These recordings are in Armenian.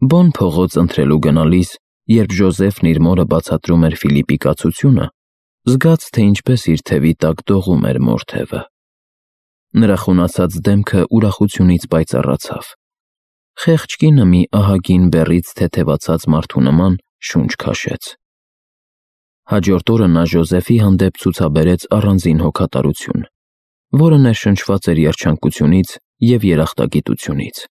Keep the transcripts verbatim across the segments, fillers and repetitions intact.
Բոն փողոց ընթրելու գնալիս, երբ Ժոզեֆն իր մորը բացատրում էր Ֆիլիպի կացությունը, զգաց, թե ինչպես իր թևի տակ դողում էր մոր թևը։ Նրա խունացած դեմքը ուրախությունից պայծառացավ։ Խեղճ կինը մի ահագին բեռից թեթևացած մարդու նման շունչ քաշեց։ Հաջորդ օրը նա Ժոզեֆի հանդեպ ցուցաբերեց առանձին հոգատարություն, որը ներշնչված էր երջանկությունից և երախտագիտությունից։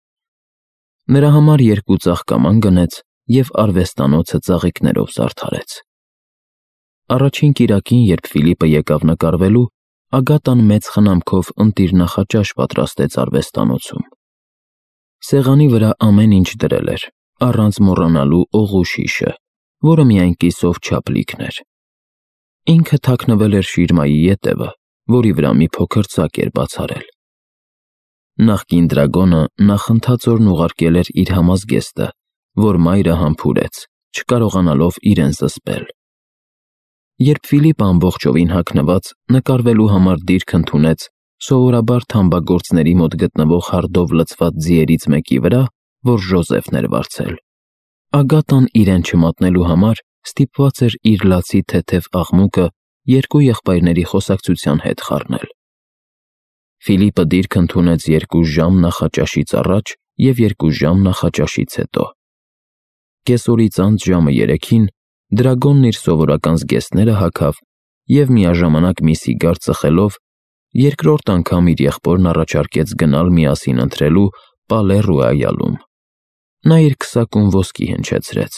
Նրա համար երկու ծաղկաման գնեց և արվեստանոցը ծաղիկներով զարդարեց։ Առաջին կիրակին, երբ Ֆիլիպը եկավ նկարվելու, Ագատան մեծ խնամքով ընտիր նախաճաշ պատրաստեց արվեստանոցում։ Սեղանի վրա ամեն ինչ դրել էր, առանց մոռանալու օղու շիշը, որը միայն կիսով չափլիքն էր։ Ինքը թաքնվել էր շիրմայի ետևը, որի վրա մի փոքր ծակ էր բացառել։ Նախկին դրագոնը նախընթացորեն ուղարկել էր իր համազգեստը, որ մայրը համբուրեց, չկարողանալով իրեն զսպել։ Երբ Ֆիլիպը ամբողջովին հագնված նկարվելու համար դիրք ընդունեց սովորաբար թամբագործների մոտ գտնվող հարդով լցված ձիերից մեկի վրա, որ Ժոզեֆն էր վարձել, Ագատան իրեն չմատնելու համար ստիպված էր իր լացի թեթև աղմուկը երկու եղբայրների խոսակցության հետ խառնել։ Ֆիլիպը դիրք ընդունեց երկու ժամ նախաճաշից առաջ և երկու ժամ նախաճաշից հետո։ Կեսօրից անց ժամը երեքին դրագոնն իր սովորական զգեստները հագավ և միաժամանակ մի սիգար ծխելով երկրորդ անգամ իր եղբորն առաջարկեց գնալ միասին ընթրելու Պալե-Ռոյալում։ Նա իր քսակում ոսկի հնչեցրեց։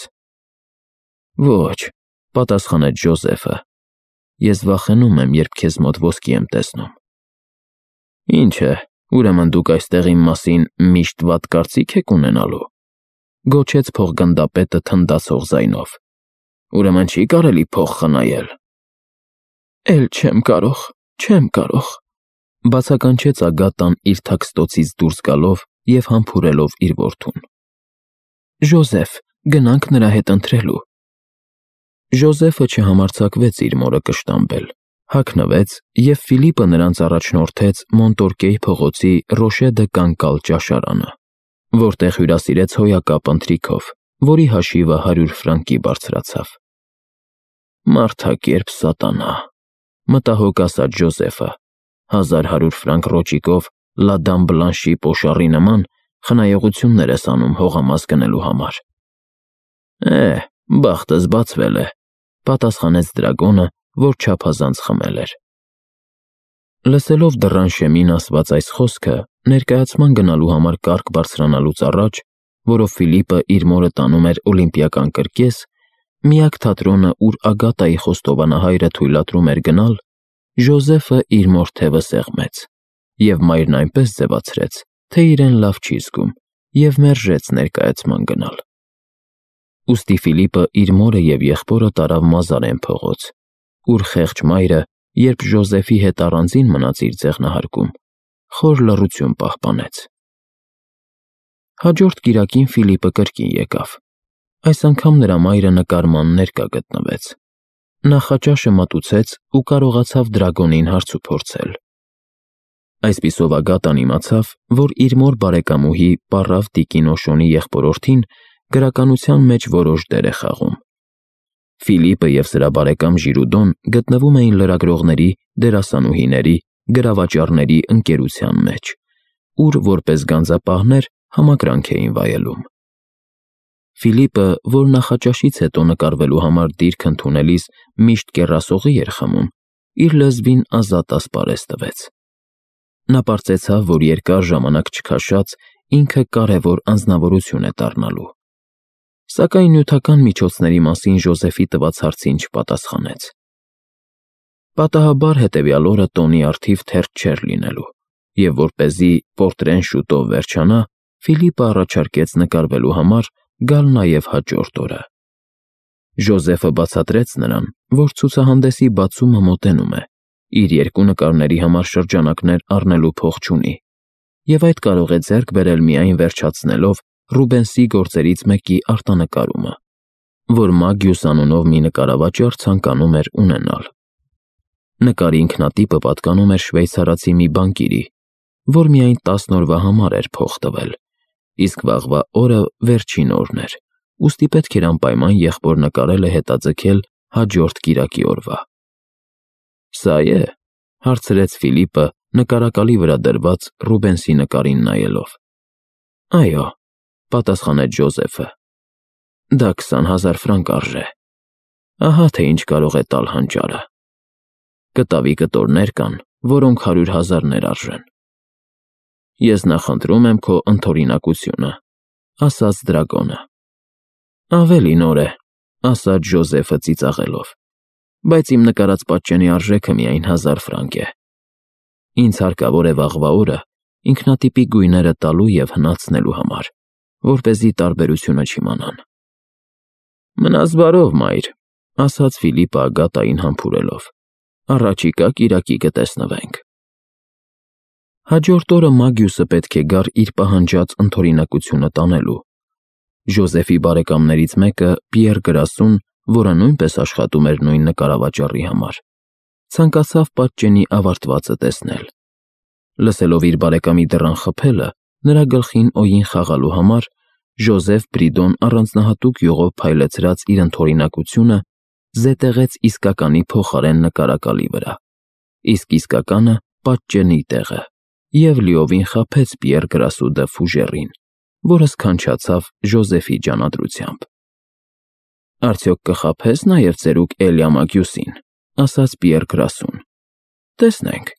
«Ոչ», պատասխանեց Ժոզեֆը, «ես վախենում եմ, երբ քեզ մոտ ոսկի եմ տեսնում»։ «Ինչ է, ուրեմն դուք այստեղ իմ մասին միշտ վատ կարծիք եք ունենալու», գոչեց փողգնդապետը թնդացող ձայնով։ «Ուրեմն չի կարելի փող խնայել»։ «Էլ չեմ կարող, չեմ կարող», բացականչեց Ագատան իր թաքստոցից դուրս գալով և համբուրելով իր որդուն։ «Ժոզեֆ, գնանք նրա հետ ընթրելու»։ Ժոզեֆը չհամարձակվեց իր մորը կշտամբել, հագնվեց, և Ֆիլիպը նրանց առաջնորդեց Մոնտորկեի փողոցի Ռոշե դը Կանկալ ճաշարանը, որտեղ հյուրասիրեց հոյակապ ընթրիքով, որի հաշիվը հարյուր ֆրանկի բարձրացավ։ «Մարդակերպ սատանա», մտահոգ ասաց Ժոզեֆը, հազար հարյուր ֆրանկ ռոճիկով Լա Դամ Բլանշի պոշարի նման խնայողություններ ես անում հողամաս գնելու համար։ «Է, բախտս բացվել է», պատասխանեց դրագոնը, որ չափազանց խմել էր։ Լսելով դռան շեմին ասված այս խոսքը, ներկայացման գնալու համար կառք բարձրանալուց առաջ, որով Ֆիլիպը իր մորը տանում էր օլիմպիական կրկես, միակ թատրոնը, ուր Ագատայի խոստովանահայրը թույլատրում էր գնալ, Ժոզեֆը իր մոր թևը սեղմեց, և մայրն այնպես ձևացրեց, թե իրեն լավ չի զգում, և մերժեց ներկայացման գնալ։ Ուստի Ֆիլիպը իր մորը և եղբորը տարավ Մազարեն փողոց, ուր խեղճ մայրը, երբ Ժոզեֆի հետ առանձին մնաց իր ձեղնահարկում, խոր լռություն պահպանեց։ Հաջորդ կիրակին Ֆիլիպը կրկին եկավ։ Այս անգամ նրա մայրը նկարման ներկա գտնվեց։ Նախաճաշը մատուցեց ու կարողացավ դրագոնին հարցուփորձել։ Այսպիսով Ագատան իմացավ, որ իր մոր բարեկամուհի պառավ տիկին Օշոնի եղբորորդին գրականության մեջ որոշ դեր է խաղում։ Ֆիլիպը և սրա բարեկամ Ժիրուդոն գտնվում էին լրագրողների, դերասանուհիների, գրավաճառների ընկերության մեջ, ուր որպես գանձապահներ համակրանք էին վայելում։ Ֆիլիպը, որ նախաճաշից հետո նկարվելու համար դիրք ընդունելիս միշտ կեռասողի էր խմում, իր լեզվին ազատ ասպարեզ տվեց։ Նա պարծեցավ, որ երկար ժամանակ չքաշած ինքը կարևոր անձնավորություն է դառնալու։ Սակայն նյութական միջոցների մասին Ժոզեֆի տված հարցին չպատասխանեց։ Պատահաբար հետևյալ օրը տոնի առթիվ թերթ չէր լինելու, և որպեսզի պորտրեն շուտով վերջանա, Ֆիլիպը առաջարկեց նկարվելու համար գալ նաև հաջորդ օրը։ Ժոզեֆը բացատրեց նրան, որ ցուցահանդեսի բացումը մոտենում է, իր երկու նկարների համար շրջանակներ առնելու փող չունի, և այդ կարող է ձեռք բերել միայն վերջացնելով Ռուբենսի գործերից մեկի արտանկարումը, որ Մագյուս անունով մի նկարավաճառ ցանկանում էր ունենալ։ Նկարի ինքնատիպը պատկանում էր շվեյցարացի մի բանկիրի, որ միայն տասն օրվա համար էր փող տվել, իսկ վաղվա օրը վերջին օրն էր, ուստի պետք էր անպայման եղբոր նկարելը հետաձգել հաջորդ կիրակի օրվա։ Սա է, հարցրեց Ֆիլիպը նկարակալի վրա դրված Ռուբենսի նկարին նայելով։ Այո, պատասխանեց Ջոզեֆը։ Դա քսան հազար ֆրանկ արժե։ Ահա թե ինչ կարող է տալ հանճարը։ Կտավի կտորներ կան, որոնք հարյուր հազարներ արժեն։ Ես նախընտրում եմ քո ընդօրինակությունը, ասաց դրագոնը։ Ավելի նոր է, ասաց Ջոզեֆը ծիծաղելով, բայց իմ նկարած պատճենի արժեքը միայն հազար ֆրանկ է։ Ինձ հարկավոր է վաղվա օրը ինքնատիպի գույները տալու և հնացնելու համար, որպեսզի տարբերությունը չիմանան։ Մնաս բարով, մայր, ասաց Ֆիլիպը Ագատային համբուրելով, առաջիկա կիրակի կտեսնվենք։ Հաջորդ օրը Մագյուսը պետք է գար իր պահանջած ընդօրինակությունը տանելու։ Ջոզեֆի բարեկամներից մեկը, Պիեր Գրասուն, որը նույնպես աշխատում էր նույն նկարավաճառի համար, ցանկացավ պատճենի ավարտվածը տեսնել։ Լսելով իր բարեկամի դռան խփելը, նրա գլխին օգին խաղալու համար, Ջոզեֆ Բրիդոն առանձնահատուկ յուղով փայլեցրած իր ընդօրինակությունը զետեղեց իսկականի փոխարեն նկարակալի վրա, իսկ իսկականը պատճենի տեղը, և լիովին խաբեց Պիեր Գրասու դը Ֆուժերին, որը սքանչացավ Ջոզեֆի ջանադրությամբ։ Արդյոք կխաբես նաև ծերուկ Էլիա Մագյուսին, ասաց Պիեր Գրասուն։ Տեսնենք,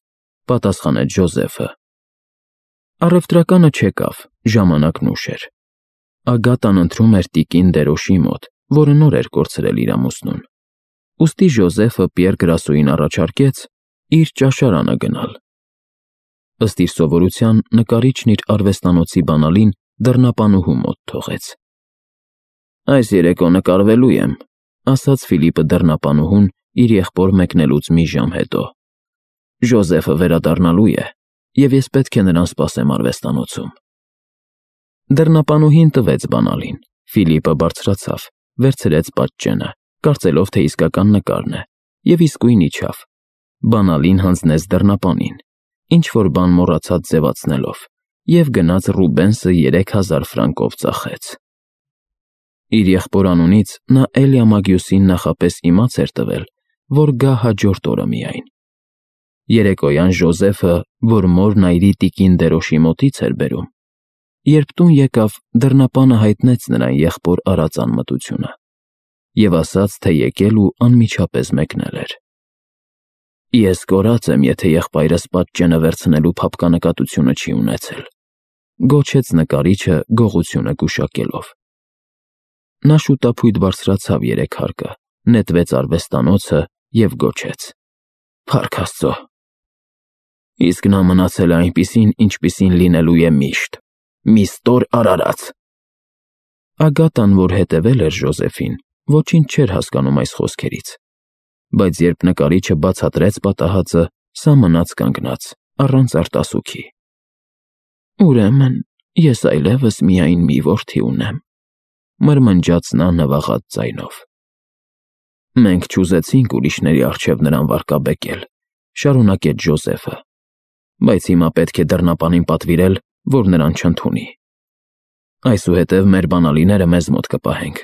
պատասխանեց Ջոզեֆը։ Առևտրականը չեկավ, ժամանակն ուշ էր։ Ագատան ընթրում էր տիկին Դերոշի մոտ, որը նոր էր կորցրել իր ամուսնուն։ Ուստի Ջոզեֆը Պիեր Գրասուին առաջարկեց իր ճաշարանը գնալ։ Ըստ իր սովորության, նկարիչն իր արվեստանոցի բանալին դռնապանուհու մոտ թողեց։ Այս երեկո նկարվելու եմ, ասաց Ֆիլիպը դռնապանուհուն իր եղբոր մեկնելուց մի ժամ հետո։ Ջոզեֆը վերադառնալու է, և ես պետք է նրան սպասեմ արվեստանոցում։ Դռնապանուհին տվեց բանալին, Ֆիլիպը բարձրացավ, վերցրեց պատճենը, կարծելով, թե իսկական նկարն է, և իսկույն իջավ։ Բանալին հանձնեց դռնապանին, ինչ-որ բան մոռացած ձևացնելով, և գնաց Ռուբենսը երեք հազար ֆրանկով ծախեց։ Իր եղբոր անունից նա Էլիա Մագյուսին նախապես իմաց էր տվել, որ գա հաջորդ օրը միայն։ Երեկոյան Ջոզեֆը, որ մոր Նայրի տիկին Դերոշի մոտից էր բերում, երբ տուն եկավ, դռնապանը հայտնեց նրան եղբոր արած անմտությունը և ասաց, թե եկել ու անմիջապես մեկնել էր։ Ես կորած եմ, եթե եղբայրս պատճենը վերցնելու փափկանկատությունը չի ունեցել, գոչեց նկարիչը գողությունը գուշակելով։ Նա շուտափույթ բարձրացավ երեքհարկը, նետվեց արվեստանոցը և գոչեց. Փառք Աստծո։ Իսկ նա մնացել է այնպիսին, ինչպիսին լինելու է միշտ, մի ստոր արարած։ Ագատան, որ հետևել էր Ջոզեֆին, ոչինչ չէր հասկանում այս խոսքերից, բայց երբ նկարիչը բացատրեց պատահածը, սա մնաց կանգնած, առանց արտասուքի։ Ուրեմն, ես այլևս միայն մի որդի ունեմ, մրմնջաց նա նվաղած ձայնով։ Մենք չուզեցինք ուրիշների առջև նրան վարկաբեկել, շարունակեց Ջոզեֆը, բայց հիմա պետք է դռնապանին պատվիրել, որ նրան չընդունի։ Այսուհետև մեր բանալիները մեզ մոտ կպահենք։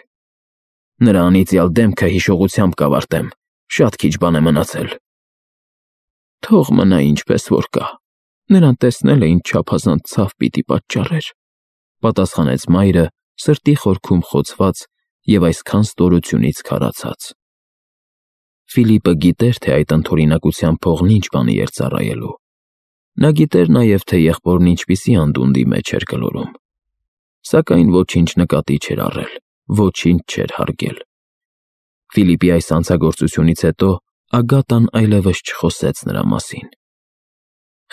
Նրա անիծյալ դեմքը հիշողությամբ կավարտեմ, շատ քիչ բան է մնացել։ Թող մնա ինչպես որ կա, նրան տեսնելը ինչ չափազանց ցավ պիտի պատճառեր, պատասխանեց մայրը, սրտի խորքում խոցված և այսքան ստորությունից քարացած։ Ֆիլիպը գիտեր, թե այդ ընդօրինակության փողն ինչ բանի էր ծառայելու։ Նա գիտեր նաև, թե եղբորն ինչպիսի անդունդի մեջ էր գլորում։ Սակայն ոչինչ նկատի չէր առել, ոչինչ չէր հարգել։ Ֆիլիպի այս անցագործությունից հետո Ագատան այլևս չխոսեց նրա մասին։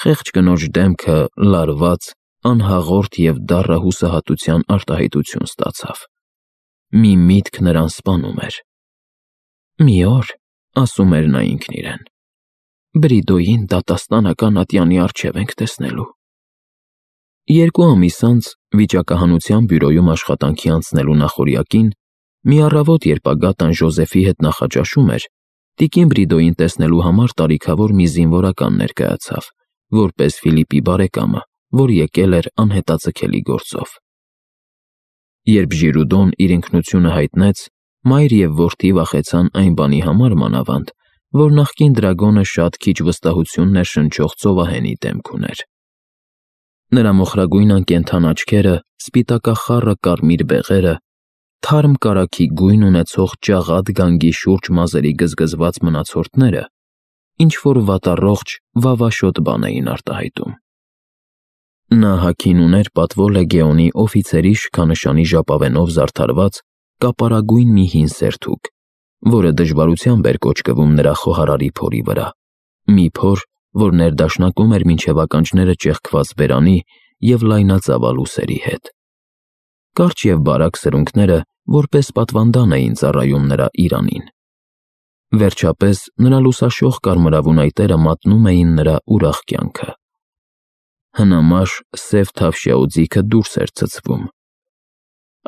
Խեղճ կնոջ դեմքը լարված, անհաղորդ և դառը հուսահատության արտահայտություն ստացավ։ Մի միտք նրան սպանում էր։ Մի օր, ասում էր նա ինքն իրեն, Բրիդոյին դատաստանական ատյանի առջև ենք տեսնելու։ Երկու ամիս անց, վիճակահանության բյուրոյում աշխատանքի անցնելու նախօրյակին, մի առավոտ, երբ Ագատան Ջոզեֆի հետ նախաճաշում էր, տիկին Բրիդոյին տեսնելու համար տարիքավոր մի զինվորական ներկայացավ, որպես Ֆիլիպի բարեկամը, որ եկել էր անհետաձգելի գործով։ Երբ Ժիրուդոն իր ինքնությունը հայտնեց, մայր և որդի վախեցան այն բանի համար մանավանդ, որ նախկին դրագոնը շատ քիչ վստահություն ներշնչող ծովահենի դեմք ուներ։ Նրա մոխրագույն անկենդան աչքերը, սպիտակախառը կարմիր բեղերը, թարմ կարագի գույն ունեցող ջաղադ գանգի շուրջ մազերի գզգզված մնացորդները ինչ-որ վատառողջ, վավաշոտ բան էին արտահայտում։ Նա հագին ուներ պատվո լեգեոնի օֆիցերի շքանշանի ժապավենով զարդարված կապարագույն մի հին սերթուկ, որը դժվարությամբ էր կոճկվում նրա խոհարարի փորի վրա, մի փոր, որ ներդաշնակում էր մինչև ականջները ճեղքված բերանի և լայնածավալ ուսերի հետ։ Կարճ և բարակ սրունքները որպես պատվանդան էին ծառայում նրա իրանին։ Վերջապես նրա լուսաշող կարմրավուն այտերը մատնում էին նրա ուրախ կյանքը։ Հնամաշ սև թավշյա օձիքը դուրս էր ցցվում։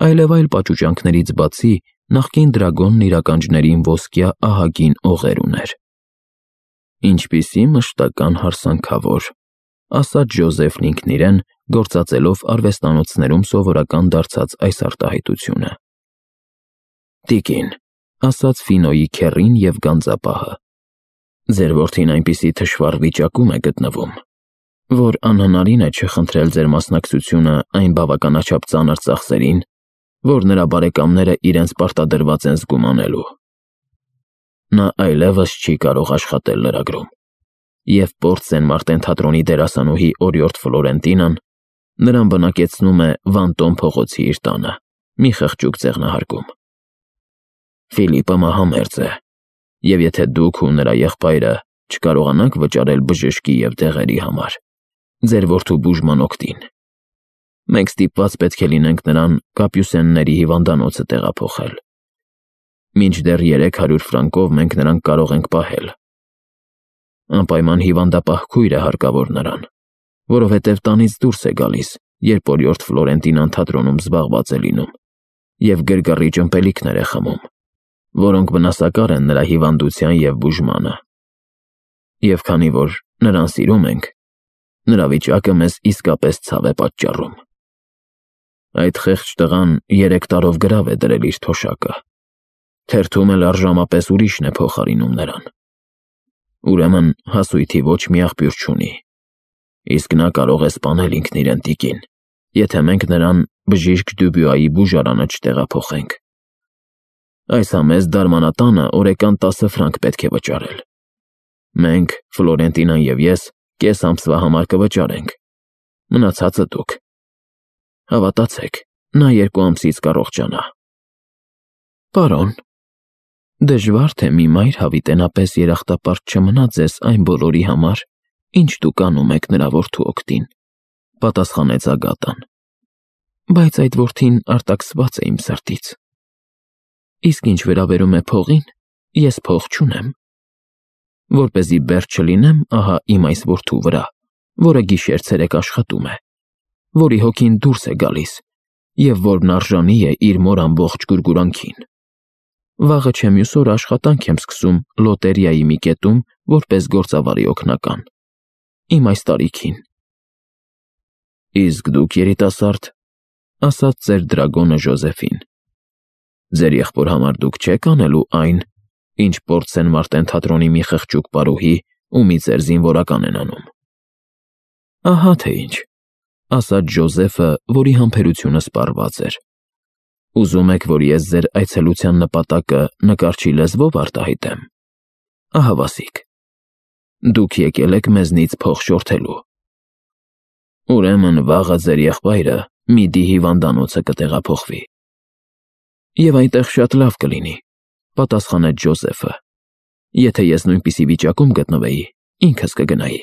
Այլևայլ պաճուճանքներից բացի նախկին դրագոնն իր ականջներին ոսկյա ահագին օղեր ուներ։ «Ինչպիսի մշտական հարսանքավոր», ասաց Ջոզեֆն ինքն իրեն, գործածելով արվեստանոցներում սովորական դարձած այս արտահայտությունը։ «Տիկին», ասաց Ֆինոյի քեռին և գանձապահը, «ձեր որդին այնպիսի թշվառ վիճակում է գտնվում, որ անհնարին է չխնդրել ձեր մասնակցությունը այն բավականաչափ ծանր ծախսերին, որ նրա բարեկամները իրենց պարտադրված են զգում անելու։ Նա այլևս չի կարող աշխատել լրագրում, և Պորտ Սեն Մարտեն թատրոնի դերասանուհի օրիորդ Ֆլորենտինան նրան բնակեցնում է Վանտոն փողոցի իր տանը, մի խղճուկ ձեղնահարկում։ Ֆիլիպը մահամերձ է, և եթե դուք ու նրա եղբայրը չկարողանաք վճարել բժշկի և դեղերի համար, ձեր որդու բուժման օգտին, մենք ստիպված պետք է լինենք նրան Կապյուսենների հիվանդանոցը տեղափոխել։ Մինչդեռ երեք հարյուր ֆրանկով մենք նրան կարող ենք պահել։ Անպայման հիվանդապահ քույր է հարկավոր նրան, որովհետև տանից դուրս է գալիս, երբ օրիորդ Ֆլորենտինան թատրոնում զբաղված է լինում, և գրգռիչ ըմպելիքներ է խմում, որոնք վնասակար են նրա հիվանդության և բուժմանը։ Եվ քանի որ նրան սիրում ենք, նրա վիճակը մեզ իսկապես ցավ է պատճառում։ Այդ խեղճ տղան երեք տարով գրավ է դրել իր թոշակը, թերթում էլ առժամապես ուրիշն է փոխարինում նրան։ Ուրեմն հասույթի ոչ մի աղբյուր չունի, իսկ նա կարող է սպանել ինքն իրեն, տիկին, եթե մենք նրան բժիշկ Դյուբյուայի բուժարանը չտեղափոխենք։ Այս համեստ դարմանատանը օրեկան տասը ֆրանկ պետք է վճարել։ Մենք, Ֆլորենտինան և ես, կես ամսվա համար կվճարենք, մնացածը դուք։ Հավատացեք, նա երկու ամսից կառողջանա։ Պարոն, դժվար թե մի մայր հավիտենապես երախտապարտ չմնա ձեզ այն բոլորի համար, ինչ դուք անում եք նրա որդու օգտին, պատասխանեց Ագատան, բայց այդ որդին արտաքսված է իմ սրտից։ Իսկ ինչ վերաբերում է փողին, ես փող չունեմ։ Որպեսզի բերդ չլինեմ, ահա իմ այս որդու վրա, որը գիշեր-ցերեկ աշխատում է, որի հոգին դուրս է գալիս, և որն արժանի է իր մոր ամբողջ գուրգուրանքին։ Վաղը չէ մյուս օրը աշխատանք եմ սկսում լոտերիայի մի կետում որպես գործավարի օգնական, իմ այս տարիքին։ Իսկ դուք, երիտասարդ, ասաց ծեր դրագոնը Ժոզեֆին, ձեր եղբոր համար դուք չեք անելու այն, ինչ Պորտ Սեն Մարտեն թատրոնի մի խղճուկ պարուհի ու մի ծեր զինվորական են անում։ Ահա թե ինչ, ասաց Ժոզեֆը, որի համբերությունը սպառված էր։ Ուզում եք, որ ես ձեր այցելության նպատակը նկարչի լեզվով արտահայտեմ։ Ահավասիկ, դուք եկել եք մեզնից փող շորթելու։ Ուրեմն վաղը ձեր եղբայրը Միդի հիվանդանոցը կտեղափոխվի։ Եվ այնտեղ շատ լավ կլինի, պատասխանեց Ջոզեֆը։ Եթե ես նույնպիսի վիճակում գտնվեի, ինքս կգնայի։